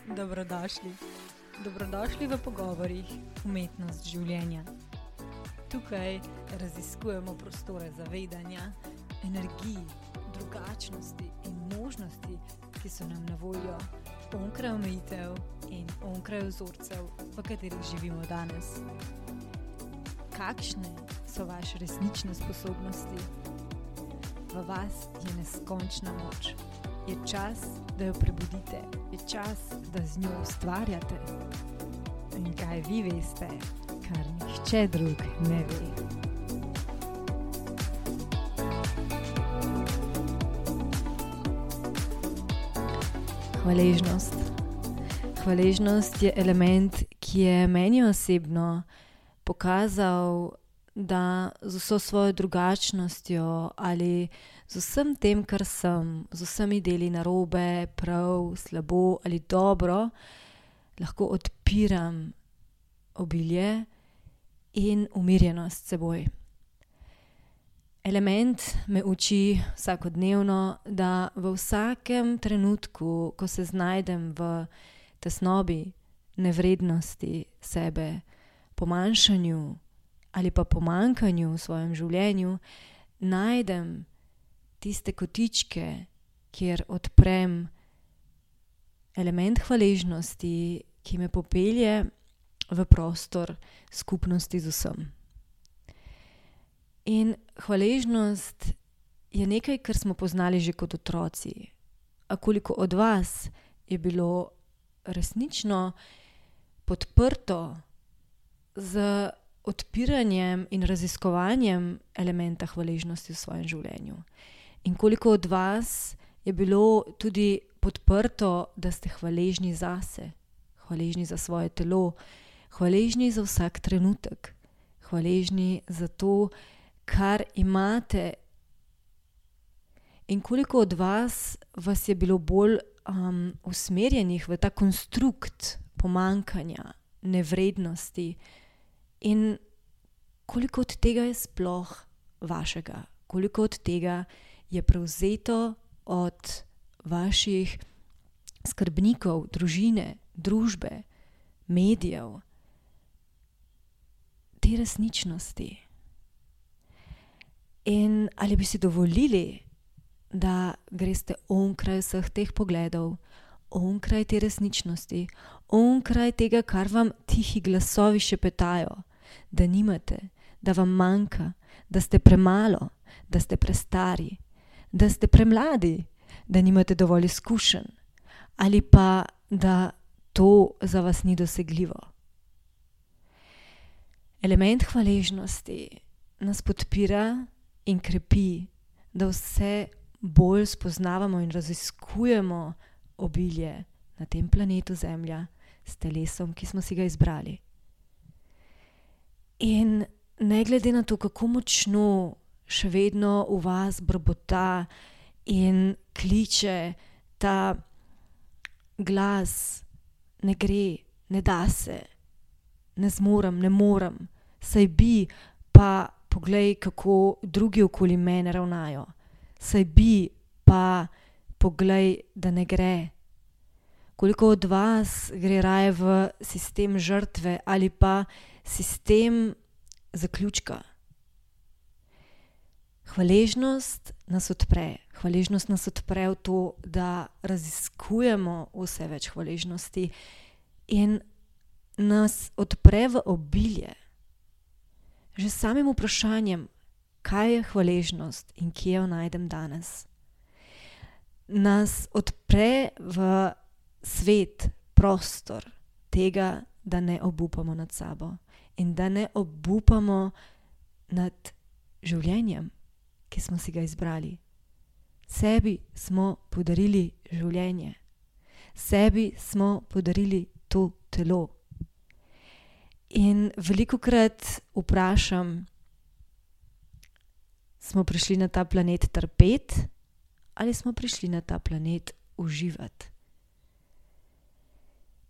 Dobrodošli. Dobrodošli v pogovorih Umetnost življenja. Tukaj raziskujemo prostore zavedanja, energij, drugačnosti in možnosti, ki so nam na voljo onkraj omejitev in onkraj vzorcev, v katerih živimo danes. Kakšne so vaše resnične sposobnosti? V vas je neskončna moč. Je čas, da jo prebudite, je čas, da z njo ustvarjate. In kaj vi veste, kar nihče drug ne ve. Hvaležnost. Hvaležnost je element, ki je meni osebno pokazal, da z vso svojo drugačnostjo ali z vsem tem, kar sem, z vsemi deli narobe, prav, slabo ali dobro, lahko odpiram obilje in umirjenost s seboj. Element me uči vsakodnevno, da v vsakem trenutku, ko se znajdem v tesnobi, nevrednosti sebe, pomanjšanju ali pa pomanjkanju v svojem življenju, najdem tiste kotičke, kjer odprem element hvaležnosti, ki me popelje v prostor skupnosti z vsem. In hvaležnost je nekaj, kar smo poznali že kot otroci. A koliko od vas je bilo resnično podprto z odpiranjem in raziskovanjem elementa hvaležnosti v svojem življenju? In koliko od vas je bilo tudi podprto, da ste hvaležni zase, hvaležni za svoje telo, hvaležni za vsak trenutek, hvaležni za to, kar imate? In koliko od vas je bilo bolj usmerjenih v ta konstrukt pomanjkanja, nevrednosti? In koliko od tega je sploh vašega? Koliko od tega je prevzeto od vaših skrbnikov, družine, družbe, medijev, te resničnosti? In ali bi si dovolili, da greste onkraj vseh teh pogledov, onkraj te resničnosti, onkraj tega, kar vam tihi glasovi šepetajo, da nimate, da vam manjka, da ste premalo, da ste prestari, da ste premladi, da nimate dovolj izkušenj, ali pa da to za vas ni dosegljivo. Element hvaležnosti nas podpira in krepi, da vse bolj spoznavamo in raziskujemo obilje na tem planetu Zemlja s telesom, ki smo si ga izbrali. In ne glede na to, kako močno še vedno v vas brbota in kliče ta glas, ne gre, ne da se, ne zmorem, ne morem, saj bi, pa poglej, kako drugi okoli mene ravnajo, saj bi, pa poglej, da ne gre. Koliko od vas gre raje v sistem žrtve ali pa sistem zaključka? Hvaležnost nas odpre. Hvaležnost nas odpre v to, da raziskujemo vse več hvaležnosti in nas odpre v obilje. Že s samim vprašanjem, kaj je hvaležnost in kje jo najdem danes, nas odpre v svet, prostor tega, da ne obupamo nad sabo in da ne obupamo nad življenjem, ki smo si ga izbrali. Sebi smo podarili življenje. Sebi smo podarili to telo. In velikokrat vprašam, smo prišli na ta planet trpeti ali smo prišli na ta planet uživati?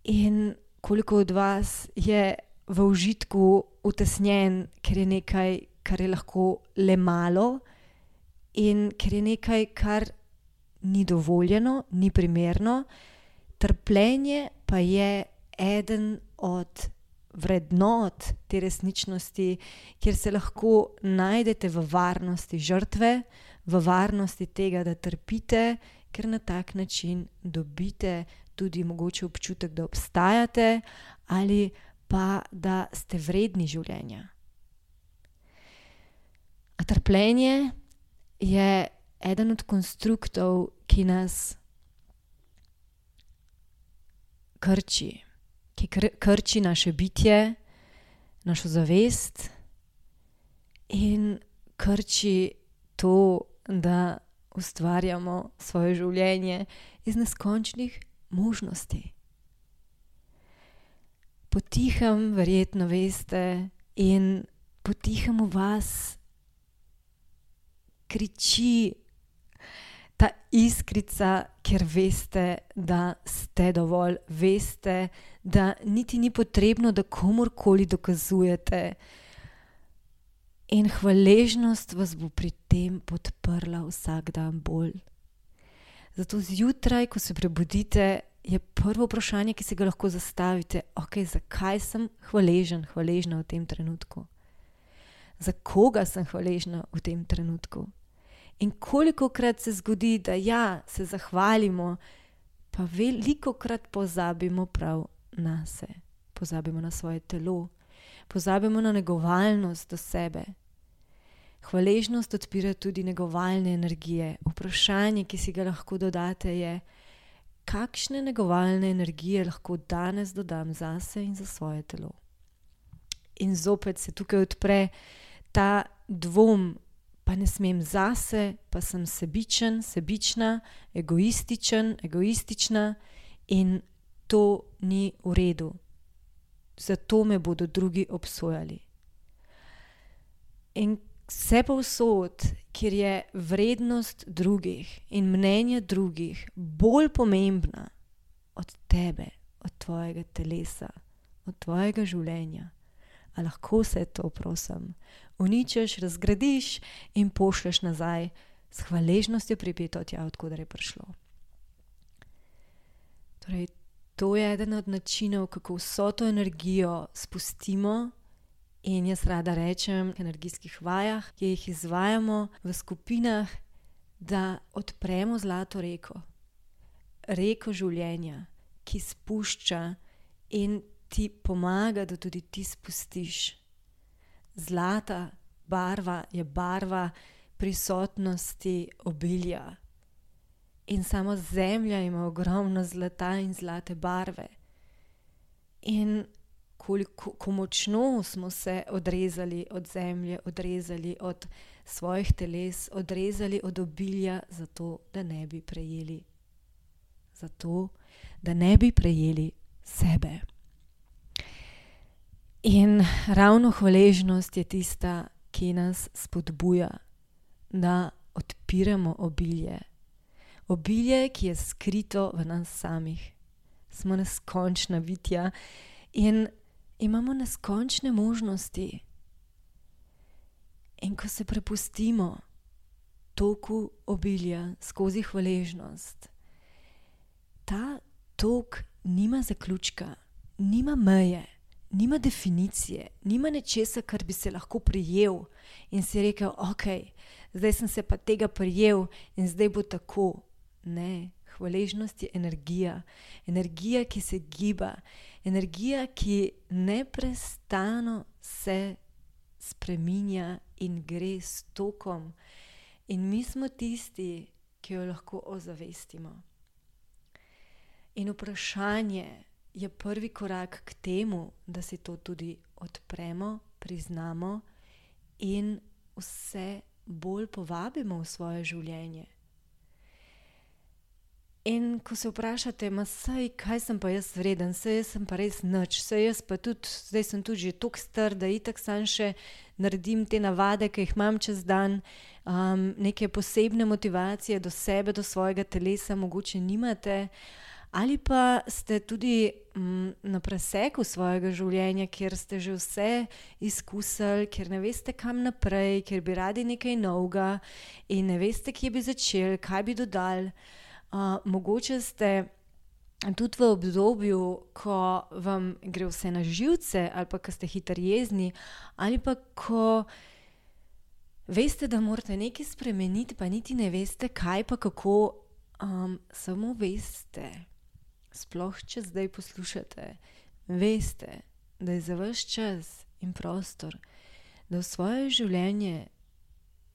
In koliko od vas je v užitku utesnjen, ker je nekaj, kar je lahko le malo in ker je nekaj, kar ni dovoljeno, ni primerno, Trpljenje pa je eden od vrednot te resničnosti, kjer se lahko najdete v varnosti žrtve, v varnosti tega, da trpite, ker na tak način dobite tudi mogoče občutek, da obstajate ali pa da ste vredni življenja. A trpljenje je eden od konstruktov, ki nas krči, ki krči naše bitje, našo zavest in krči to, da ustvarjamo svoje življenje iz neskončnih možnosti. Potihem verjetno veste in potihem v vas kriči ta iskrica, ker veste, da ste dovolj, veste, da niti ni potrebno, da komurkoli dokazujete. In hvaležnost vas bo pri tem podprla vsak dan bolj. Zato zjutraj, ko se prebudite, je prvo vprašanje, ki se ga lahko zastavite, zakaj sem hvaležna v tem trenutku? Za koga sem hvaležna v tem trenutku? In kolikokrat se zgodi, da se zahvalimo, pa velikokrat pozabimo prav nase. Pozabimo na svoje telo, pozabimo na negovalnost do sebe. Hvaležnost odpira tudi negovalne energije. Vprašanje, ki si ga lahko dodate, je, kakšne negovalne energije lahko danes dodam zase in za svoje telo. In zopet se tukaj odpre ta dvom, pa ne smem zase, pa sem sebičen, sebična, egoistična in to ni v redu. Zato me bodo drugi obsojali. In vse povsod, kjer je vrednost drugih in mnenje drugih bolj pomembna od tebe, od tvojega telesa, od tvojega življenja, a lahko vse to, prosim, uničiš, razgradiš in pošlješ nazaj s hvaležnostjo pripeto tja, odkudar je prišlo. Torej, to je eden od načinov, kako vso to energijo spustimo. In jaz rada rečem v energijskih vajah, ki jih izvajamo v skupinah, da odpremo zlato reko. Reko življenja, ki spušča in ti pomaga, da tudi ti spustiš. Zlata barva je barva prisotnosti obilja. In samo zemlja ima ogromno zlata in zlate barve. In koliko močno smo se odrezali od zemlje, odrezali od svojih teles, odrezali od obilja, zato da ne bi prejeli. Zato da ne bi prejeli sebe. In ravno hvaležnost je tista, ki nas spodbuja, da odpiramo obilje. Obilje, ki je skrito v nas samih. Smo neskončna bitja in imamo neskončne možnosti. In ko se prepustimo toku obilja skozi hvaležnost, ta tok nima zaključka, nima meje, nima definicije, nima nečesa, kar bi se lahko prijel in si rekel, zdaj sem se pa tega prijel in zdaj bo tako. Ne, hvaležnost je energija. Energija, ki se giba. Energija, ki neprestano se spreminja in gre s tokom. In mi smo tisti, ki jo lahko ozavestimo. In vprašanje je prvi korak k temu, da si to tudi odpremo, priznamo in vse bolj povabimo v svoje življenje. In ko se vprašate, kaj sem pa jaz vreden, jaz sem pa res nič, zdaj sem tudi že toliko star, da itak sam še naredim te navade, ki jih imam čez dan, neke posebne motivacije do sebe, do svojega telesa mogoče nimate, ali pa ste tudi na preseku svojega življenja, kjer ste že vse izkusili, ker ne veste kam naprej, ker bi radi nekaj novega in ne veste, kje bi začeli, kaj bi dodali. Mogoče ste tudi v obdobju, ko vam gre vse na živce, ali pa ko ste hitro jezni, ali pa ko veste, da morate nekaj spremeniti, pa niti ne veste, kaj pa kako, samo veste, sploh če zdaj poslušate, veste, da je za vaš čas in prostor, da v svoje življenje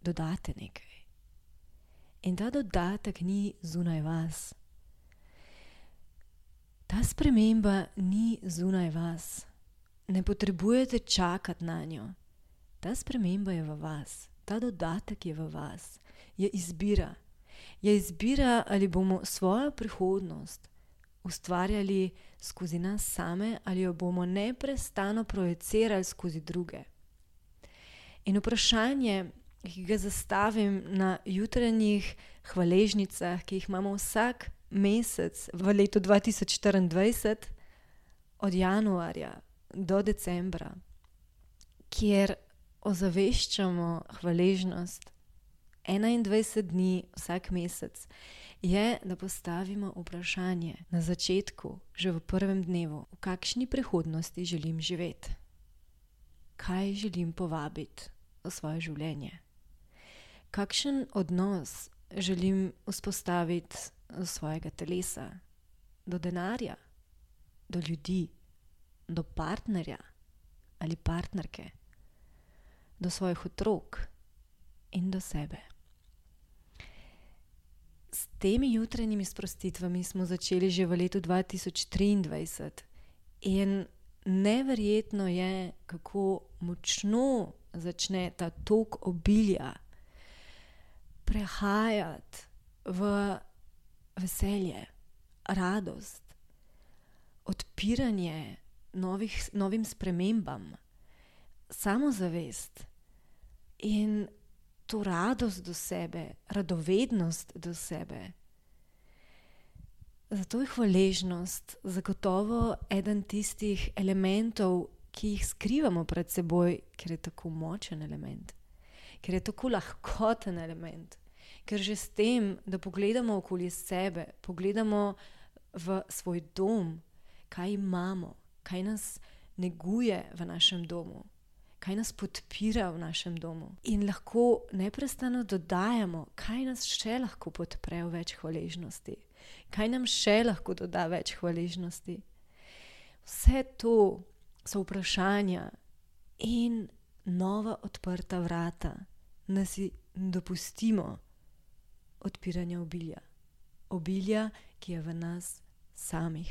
dodate nekaj. In ta dodatek ni zunaj vas. Ta sprememba ni zunaj vas. Ne potrebujete čakati na njo. Ta sprememba je v vas. Ta dodatek je v vas. Je izbira. Je izbira, ali bomo svojo prihodnost ustvarjali skozi nas same, ali jo bomo neprestano projicirali skozi druge. In vprašanje, ki ga zastavim na jutranjih hvaležnicah, ki jih imamo vsak mesec v letu 2024, od januarja do decembra, kjer ozaveščamo hvaležnost 21 dni vsak mesec, je, da postavimo vprašanje na začetku, že v prvem dnevu, v kakšni prihodnosti želim živeti, kaj želim povabiti v svoje življenje, kakšen odnos želim vzpostaviti do svojega telesa, do denarja, do ljudi, do partnerja ali partnerke, do svojih otrok in do sebe. S temi jutranjimi sprostitvami smo začeli že v letu 2023 in neverjetno je, kako močno začne ta tok obilja prehajati v veselje, radost, odpiranje novim spremembam, samozavest in to radost do sebe, radovednost do sebe. Zato je hvaležnost zagotovo eden tistih elementov, ki jih skrivamo pred seboj, ker je tako močen element, ker je tako lahkoten element, ker že s tem, da pogledamo okoli sebe, pogledamo v svoj dom, kaj imamo, kaj nas neguje v našem domu, kaj nas podpira v našem domu. In lahko neprestano dodajamo, kaj nas še lahko podpre v več hvaležnosti, kaj nam še lahko doda več hvaležnosti. Vse to so vprašanja in nova odprta vrata, da si dopustimo odpiranja obilja. Obilja, ki je v nas samih.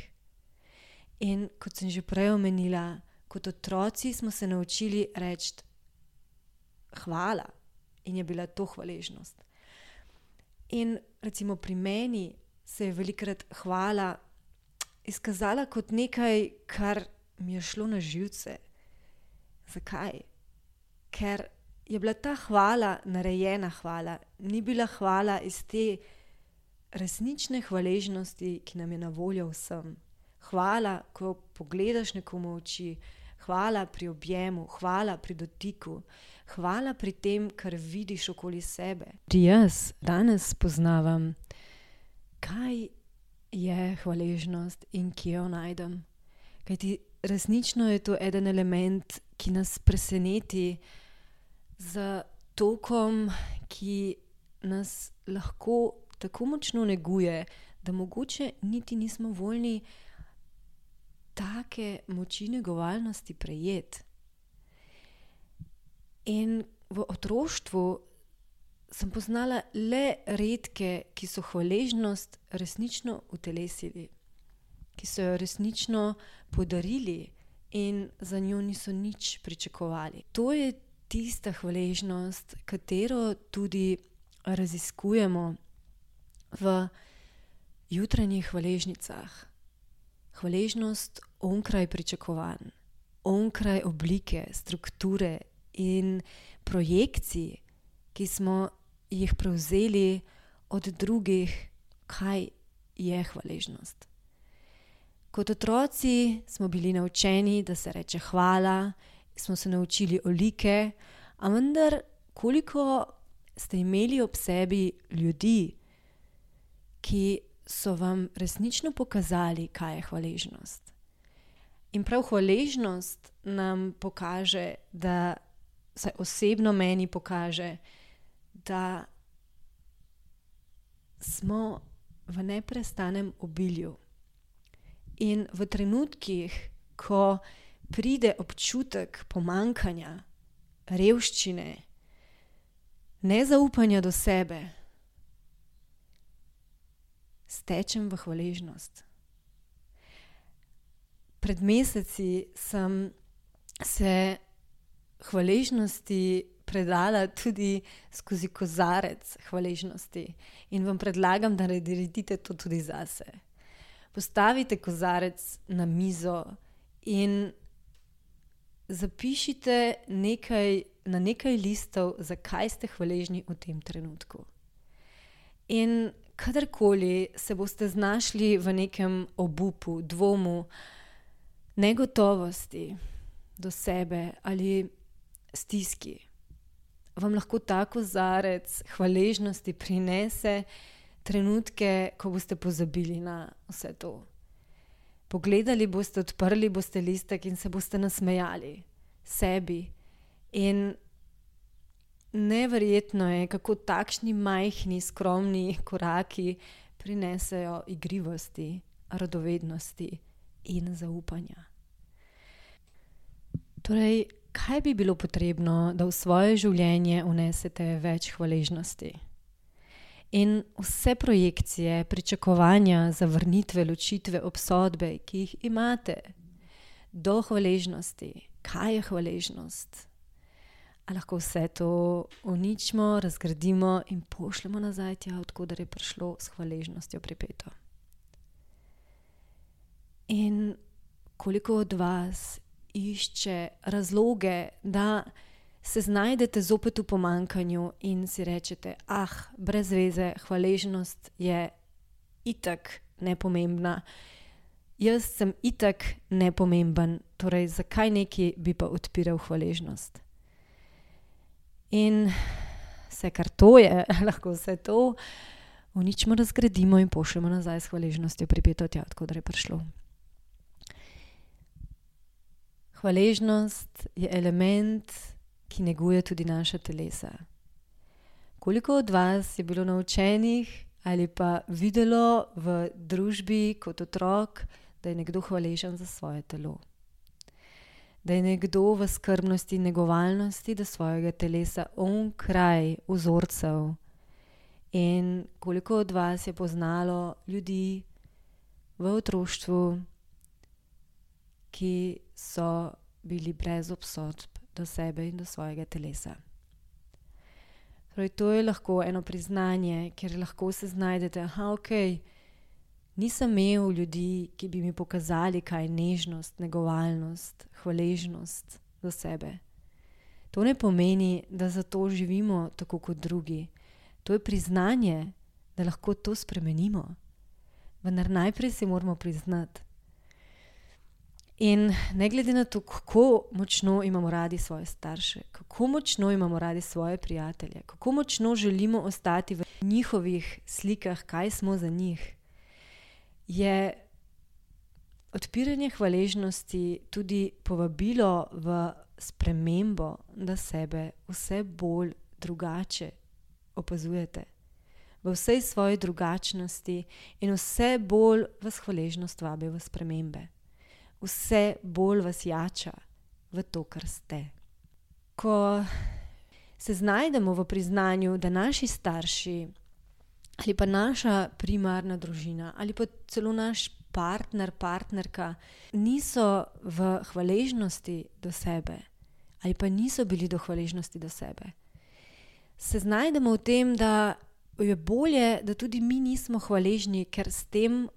In kot sem že prej omenila, kot otroci smo se naučili reči hvala in je bila to hvaležnost. In recimo pri meni se je velikokrat hvala izkazala kot nekaj, kar mi je šlo na živce. Zakaj? Ker je bila ta hvala narejena hvala, ni bila hvala iz te resnične hvaležnosti, ki nam je na voljo vsem. Hvala, ko pogledaš nekomu v oči, hvala pri objemu, hvala pri dotiku, hvala pri tem, kar vidiš okoli sebe. Jaz danes spoznavam, kaj je hvaležnost in kje jo najdem. Kajti resnično je to eden element, ki nas preseneti z tokom, ki nas lahko tako močno neguje, da mogoče niti nismo voljni take moči negovalnosti prejeti. In v otroštvu sem poznala le redke, ki so hvaležnost resnično utelesili, ki so jo resnično podarili in za njo niso nič pričakovali. To je tista hvaležnost, katero tudi raziskujemo v jutranjih hvaležnicah. Hvaležnost onkraj pričakovanj, onkraj oblike, strukture in projekcij, ki smo jih prevzeli od drugih, kaj je hvaležnost. Kot otroci smo bili naučeni, da se reče hvala, smo se naučili olike, a vendar koliko ste imeli ob sebi ljudi, ki so vam resnično pokazali, kaj je hvaležnost. In prav hvaležnost nam pokaže, da se osebno meni pokaže, da smo v neprestanem obilju. In v trenutkih, ko pride občutek pomanjkanja, revščine, nezaupanja do sebe, stečem v hvaležnost. Pred meseci sem se hvaležnosti predala tudi skozi kozarec hvaležnosti in vam predlagam, da naredite to tudi zase. Postavite kozarec na mizo in zapišite na nekaj listov, zakaj ste hvaležni v tem trenutku. In kadarkoli se boste znašli v nekem obupu, dvomu, negotovosti do sebe ali stiski, vam lahko ta kozarec hvaležnosti prinese trenutke, ko boste pozabili na vse to. Pogledali boste, odprli boste listek in se boste nasmejali sebi. In neverjetno je, kako takšni majhni, skromni koraki prinesejo igrivosti, radovednosti in zaupanja. Torej, kaj bi bilo potrebno, da v svoje življenje vnesete več hvaležnosti? In vse projekcije, pričakovanja, zavrnitve, ločitve, obsodbe, ki jih imate do hvaležnosti, kaj je hvaležnost? A lahko vse to uničimo, razgradimo in pošljemo nazaj tja, odkudar je prišlo, s hvaležnostjo pripeto. In koliko od vas išče razloge, da se znajdete zopet v pomanjkanju in si rečete, brez veze, hvaležnost je itak nepomembna. Jaz sem itak nepomemben, torej zakaj neki bi pa odpiral hvaležnost? In vse, kar to je, lahko vse to uničimo, razgradimo in pošljemo nazaj s hvaležnostjo pripeto tja, odkudar je prišlo. Hvaležnost je element, ki neguje tudi naša telesa. Koliko od vas je bilo naučenih ali pa videlo v družbi kot otrok, da je nekdo hvaležen za svoje telo? Da je nekdo v skrbnosti in negovalnosti do svojega telesa onkraj vzorcev? In koliko od vas je poznalo ljudi v otroštvu, ki so bili brez obsodb do sebe in do svojega telesa? Torej, to je lahko eno priznanje, kjer lahko se znajdete, nisem imel ljudi, ki bi mi pokazali, kaj je nežnost, negovalnost, hvaležnost do sebe. To ne pomeni, da zato živimo tako kot drugi. To je priznanje, da lahko to spremenimo. Vendar najprej si moramo priznati. In ne glede na to, kako močno imamo radi svoje starše, kako močno imamo radi svoje prijatelje, kako močno želimo ostati v njihovih slikah, kaj smo za njih, je odpiranje hvaležnosti tudi povabilo v spremembo, da sebe vse bolj drugače opazujete, v vsej svoji drugačnosti in vse bolj vas hvaležnost vabi v spremembe. Vse bolj vas jača v to, kar ste. Ko se znajdemo v priznanju, da naši starši ali pa naša primarna družina ali pa celo naš partner, partnerka niso v hvaležnosti do sebe ali pa niso bili do hvaležnosti do sebe, se znajdemo v tem, da je bolje, da tudi mi nismo hvaležni, ker s tem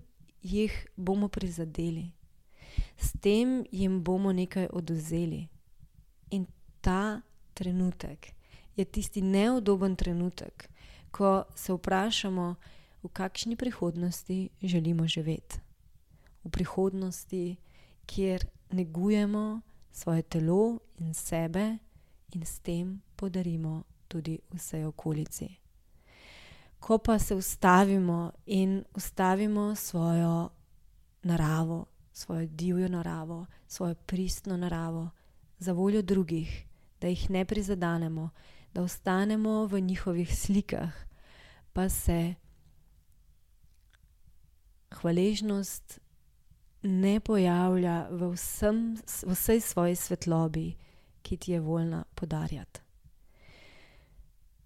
jih bomo prizadeli. S tem jim bomo nekaj odvzeli. In ta trenutek je tisti neudoben trenutek, ko se vprašamo, v kakšni prihodnosti želimo živeti. V prihodnosti, kjer negujemo svoje telo in sebe in s tem podarimo tudi vsej okolici. Ko pa se ustavimo in ustavimo svojo naravo, svojo divjo naravo, svojo pristno naravo za voljo drugih, da jih ne prizadanemo, da ostanemo v njihovih slikah, pa se hvaležnost ne pojavlja v vsej svoji svetlobi, ki ti je voljna podarjati.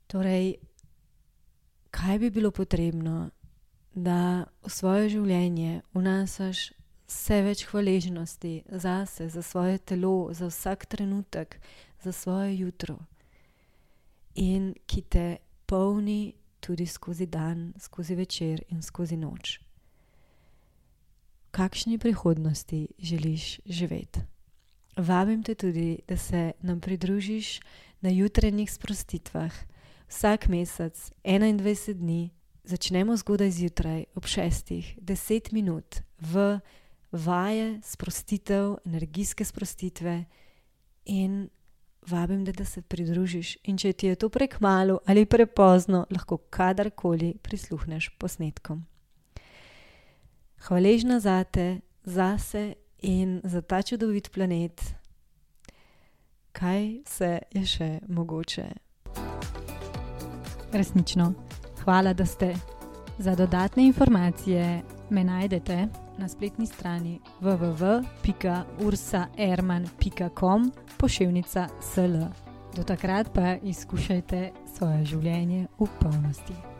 Torej, kaj bi bilo potrebno, da v svoje življenje vnašaš vse več hvaležnosti zase, za svoje telo, za vsak trenutek, za svoje jutro in ki te polni tudi skozi dan, skozi večer in skozi noč. V kakšni prihodnosti želiš živeti? Vabim te tudi, da se nam pridružiš na jutranjih sprostitvah. Vsak mesec, 21 dni, začnemo zgodaj zjutraj ob 6, 10 minut v vaje, sprostitev, energijske sprostitve in vabim te, da se pridružiš. In če ti je to prekmalu ali prepozno, lahko kadarkoli prisluhneš posnetkom. Hvaležna zate, zase in za ta čudovit planet. Kaj vse je še mogoče? Resnično. Hvala, da ste. Za dodatne informacije me najdete na spletni strani www.ursaerman.com/sl. Do takrat pa izkušajte svoje življenje v polnosti.